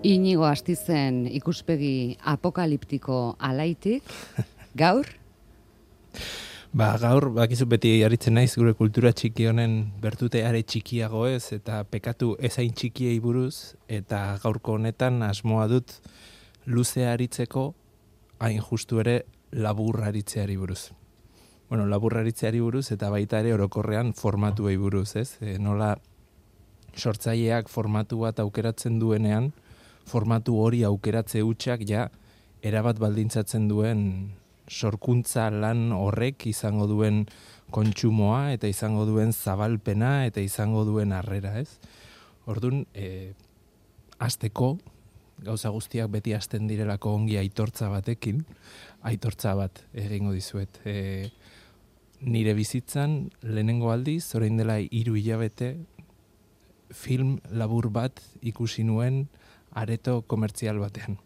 Inigo Astizen ikuspegi apokaliptiko alaitik, gaur? Gaur, bakizu beti aritzen naiz gure kultura txiki honen bertute are txikiago ez, eta pekatu ezain txikiei buruz, eta gaurko honetan asmoa dut luze aritzeko, hain justu ere labur aritzeari buruz. Bueno, labur aritzeari buruz, eta baita ere orokorrean formatuei buruz, ez? Nola sortzaileak formatu bat aukeratzen duenean, formatu hori aukeratze hutsak ja erabat baldintzatzen duen sorkuntza lan horrek izango duen kontsumoa eta izango duen zabalpena eta izango duen harrera, ez? Orduan, hasteko gauza guztiak beti hasten direlako ongi aitortza batekin, aitortza bat egingo dizuet. Nire bizitzan lehenengo aldiz, orain dela 3 hilabete, film labur bat ikusi nuen areto komertzial batean.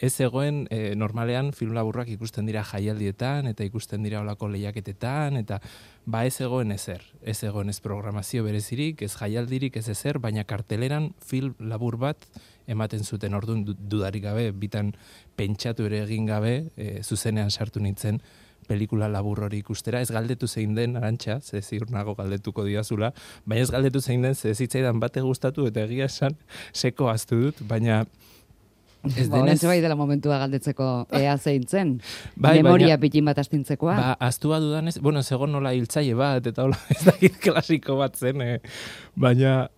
Ez egoen, normalean film laburrak ikusten dira jaialdietan, eta ikusten dira olako lehiaketetan, eta ez egoen ezer. Ez egoen ez programazio berezirik, ez jaialdirik, ez ezer, baina karteleran film labur bat ematen zuten. Orduan dudarik gabe, bitan pentsatu ere egin gabe, zuzenean sartu nintzen pelikula labur hori ikustera. Ez galdetu zein den, Arantxa, ze ziur nago galdetuko diazula, baina ez galdetu zein den, ze zitzaidan bate gustatu eta egia esan seko ahaztu dut, baina ez denez... Bai dela momentua galdetzeko ea zein zen. Memoria pitin bat astintzekoa. Aztua dudanez, zegoen nola hiltzaile bat, eta hola ez dakit klasiko bat zen, baina,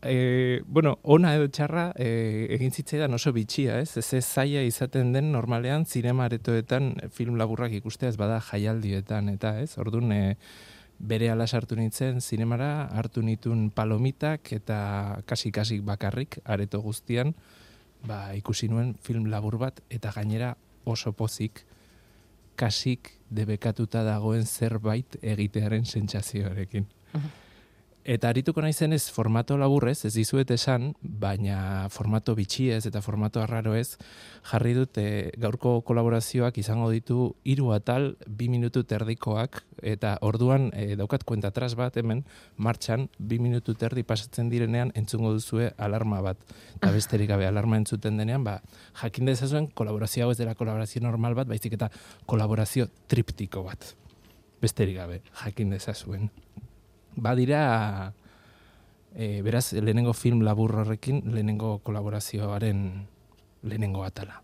ona edo txarra egin zitzaidan oso bitxia, ez? Ez zaila izaten den normalean zinema aretoetan film laburrak ikustea ez bada jaialdietan, eta ez? Orduan, bere ala sartu nintzen zinemara, hartu nituen palomitak eta kasik bakarrik areto guztian, ikusi nuen film labur bat, eta gainera oso pozik, kasik debekatuta dagoen zerbait egitearen sentsazioarekin. Eta arituko naizenez formato laburrez, ez dizuet esan, baina formato bitxiez eta formato arraro ez, jarri dut gaurko kolaborazioak izango ditu 3 atal 2 minutu terdikoak, eta orduan daukat kuentatras bat hemen martxan 2 minutu terdi pasatzen direnean entzungo duzue alarma bat. Eta besterik gabe alarma entzuten denean, jakin dezazuen kolaborazio hau ez dela kolaborazio normal bat, baizik eta kolaborazio triptiko bat. Besterik gabe, jakin dezazuen. Badira, beraz, lehenengo film labur horrekin, lehenengo kolaborazioaren lehenengo atala.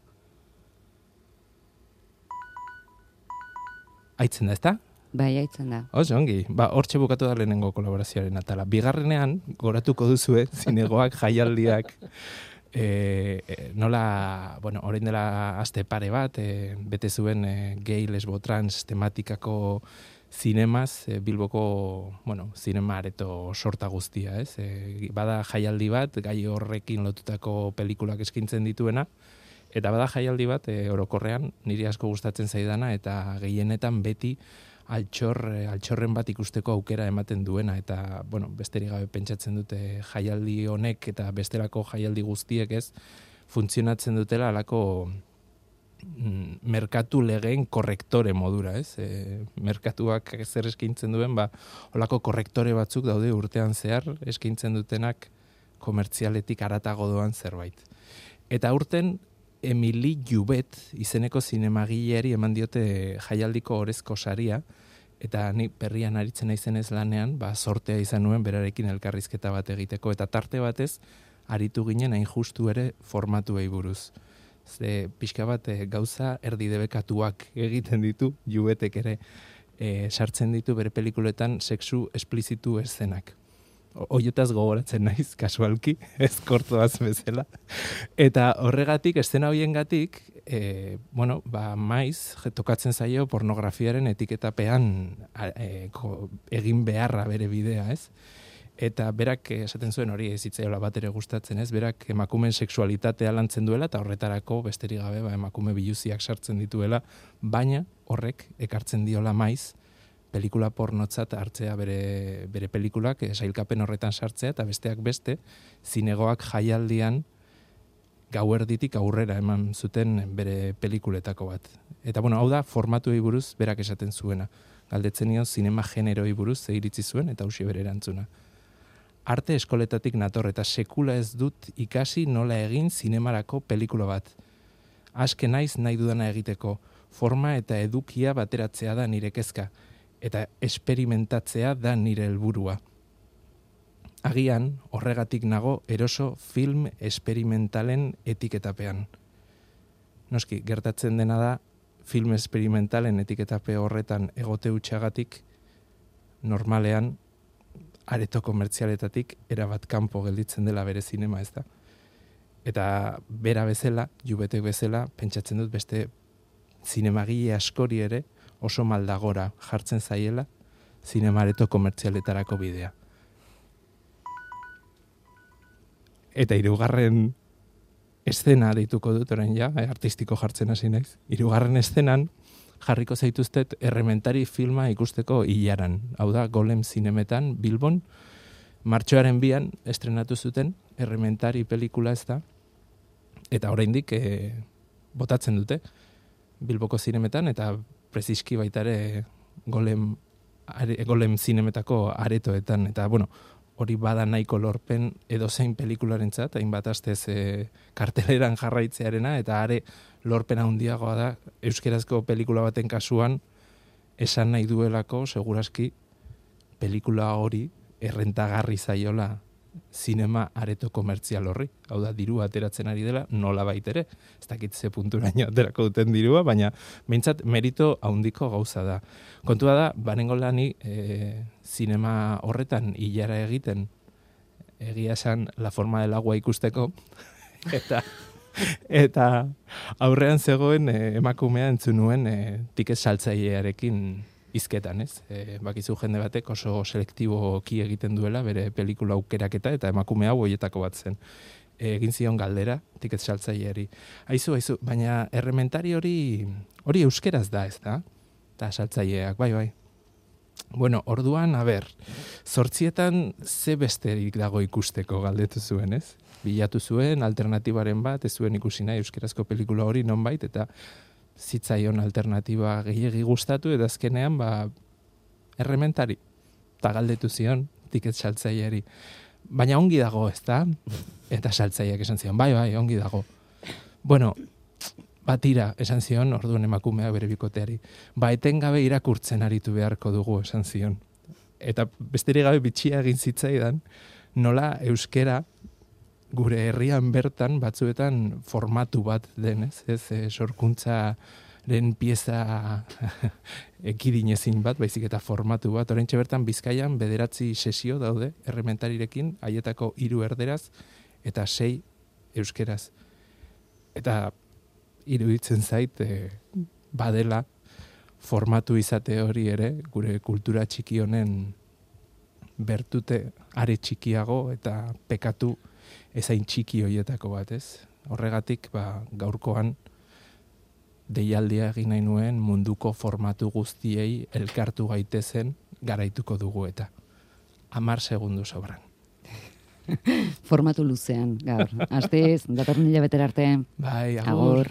Aitzen da, ezta? Bai, aitzen da. Oso ongi, hortxe bukatu da lehenengo kolaborazioaren atala. Bigarrenean, goratuko duzue, zinegoak, jaialdiak, nola, orain dela aste pare bat, bete zuen gay, lesbo, trans tematikako zinemaz, Bilboko, zinema areto sorta guztia, ez? Bada jaialdi bat, gai horrekin lotutako pelikulak eskintzen dituena, eta bada jaialdi bat, orokorrean, niri asko gustatzen zaidana, eta gehienetan beti altxorren bat ikusteko aukera ematen duena, eta, besterik gabe pentsatzen dute jaialdi honek, eta bestelako jaialdi guztiek ez, funtzionatzen dutela alako merkatu legeen korrektore modura, ez? Merkatuak zer eskaintzen duen, holako korrektore batzuk daude urtean zehar, eskaintzen dutenak komertzialetik haratago doan zerbait. Eta urten, Emily Jubet izeneko zinemagileari eman diote jaialdiko orezko saria, eta ni berrian aritzen naizenez lanean, sortea izan nuen berarekin elkarrizketa bat egiteko, eta tarte batez, aritu ginen hain justu ere formatuei buruz. Ze pixka bat gauza erdi debekatuak egiten ditu, Jubetek ere sartzen ditu bere pelikuletan sexu esplizitu eszenak. Oietaz gogoratzen naiz, kasualki, ez kortoaz bezala. Eta horregatik, eszena hoiengatik, maiz, tokatzen zaio pornografiaren etiketapean egin beharra bere bidea, ez? Eta berak esaten zuen hori ez zitzaiola bat ere gustatzen, ez? Berak emakumeen sexualitatea lantzen duela, eta horretarako besterik gabe emakume biluziak sartzen dituela, baina horrek ekartzen diola maiz, pelikula pornotzat hartzea bere pelikulak, sailkapen horretan sartzea, eta besteak beste, zinegoak jaialdian gauerditik aurrera eman zuten bere pelikuletako bat. Eta hau da, formatuei buruz berak esaten zuena. Galdetzen nion zinema generoi buruz ze iritzi zuen, eta hauxe bere erantzuna. arte eskoletatik nator eta sekula ez dut ikasi nola egin zinemarako pelikula bat. Aske naiz nahi dudana egiteko, forma eta edukia bateratzea da nire kezka, eta esperimentatzea da nire helburua. Agian, horregatik nago eroso film esperimentalen etiketapean. Noski, gertatzen dena da, film esperimentalen etiketape horretan egote utxagatik, normalean, areto komertzialetatik erabat kanpo gelditzen dela bere zinema, ez da? Eta bera bezala, jubetek bezala, pentsatzen dut beste zinemagile askori ere oso maldagora jartzen zaiela zinema areto komertzialetarako bidea. Eta hirugarren eszena deituko dut orain ja, artistiko jartzen hasi naiz. Hirugarren eszenan jarriko zaituztet Errementari filma ikusteko ilaran. Hau da, Golem zinemetan, Bilbon, martxoaren 2an estrenatu zuten Errementari pelikula ez da. Eta oraindik botatzen dute Bilboko zinemetan eta preziski baita ere Golem zinemetako aretoetan. Eta, bueno, hori bada nahiko lorpen edozein pelikularentzat, hainbat astez karteleran jarraitzearena, eta are lorpena handiagoa da euskerazko pelikula baten kasuan esan nahi duelako, seguraski, pelikula hori errentagarri zaiola zinema areto komertzial horri. Hau da, dirua ateratzen ari dela, nola baitere. Ez dakit ze punturaino aterako duten dirua, baina behintzat merito handiko gauza da. Kontua da, banengo lani zinema horretan hilara egiten, egia esan La forma del agua ikusteko, eta aurrean zegoen emakumea entzun nuen tiket saltzailearekin hizketan, ez? Bakizu jende batek oso selektiboki egiten duela bere pelikula aukeraketa eta emakume hau hoietako bat zen. Egin zion galdera tiket saltzaileari. Aizu, baina Errementari hori euskeraz da, ez da? Eta saltzaileak, bai. Bueno, orduan, 8:00 ze besterik dago ikusteko galdetu zuen, ez? Bilatu zuen alternatibaren bat, ez zuen ikusi nahi euskerazko pelikula hori nonbait, eta zitzaion alternatiba gehiegi gustatu, eta azkenean, Errementari. Eta galdetu zion tiket saltzaileari. Baina ongi dago, ez da? Eta saltzaileak esan zion, bai, ongi dago. Bueno, batira, esan zion, orduan emakumea bere bikoteari. Etengabe irakurtzen aritu beharko dugu, esan zion. Eta besterik gabe bitxia egin zitzaidan, nola euskera gure herrian bertan batzuetan formatu bat denez, ez sorkuntzaren pieza ekidinezin bat, baizik eta formatu bat. Oraintxe bertan Bizkaian 9 sesio daude Errementarirekin, haietako 3 erderaz eta 6 euskeraz. Eta iruditzen zait badela formatu izate hori ere gure kultura txiki honen bertute are txikiago eta pekatu ezain txiki hoietako bat, ez? Horregatik, gaurkoan deialdia egin nahi nuen munduko formatu guztiei elkartu gaitezen garaituko dugu eta 10 segundu sobran. Formatu luzean, gaur. Astez, datorren hilabetera arte. Bai, agur.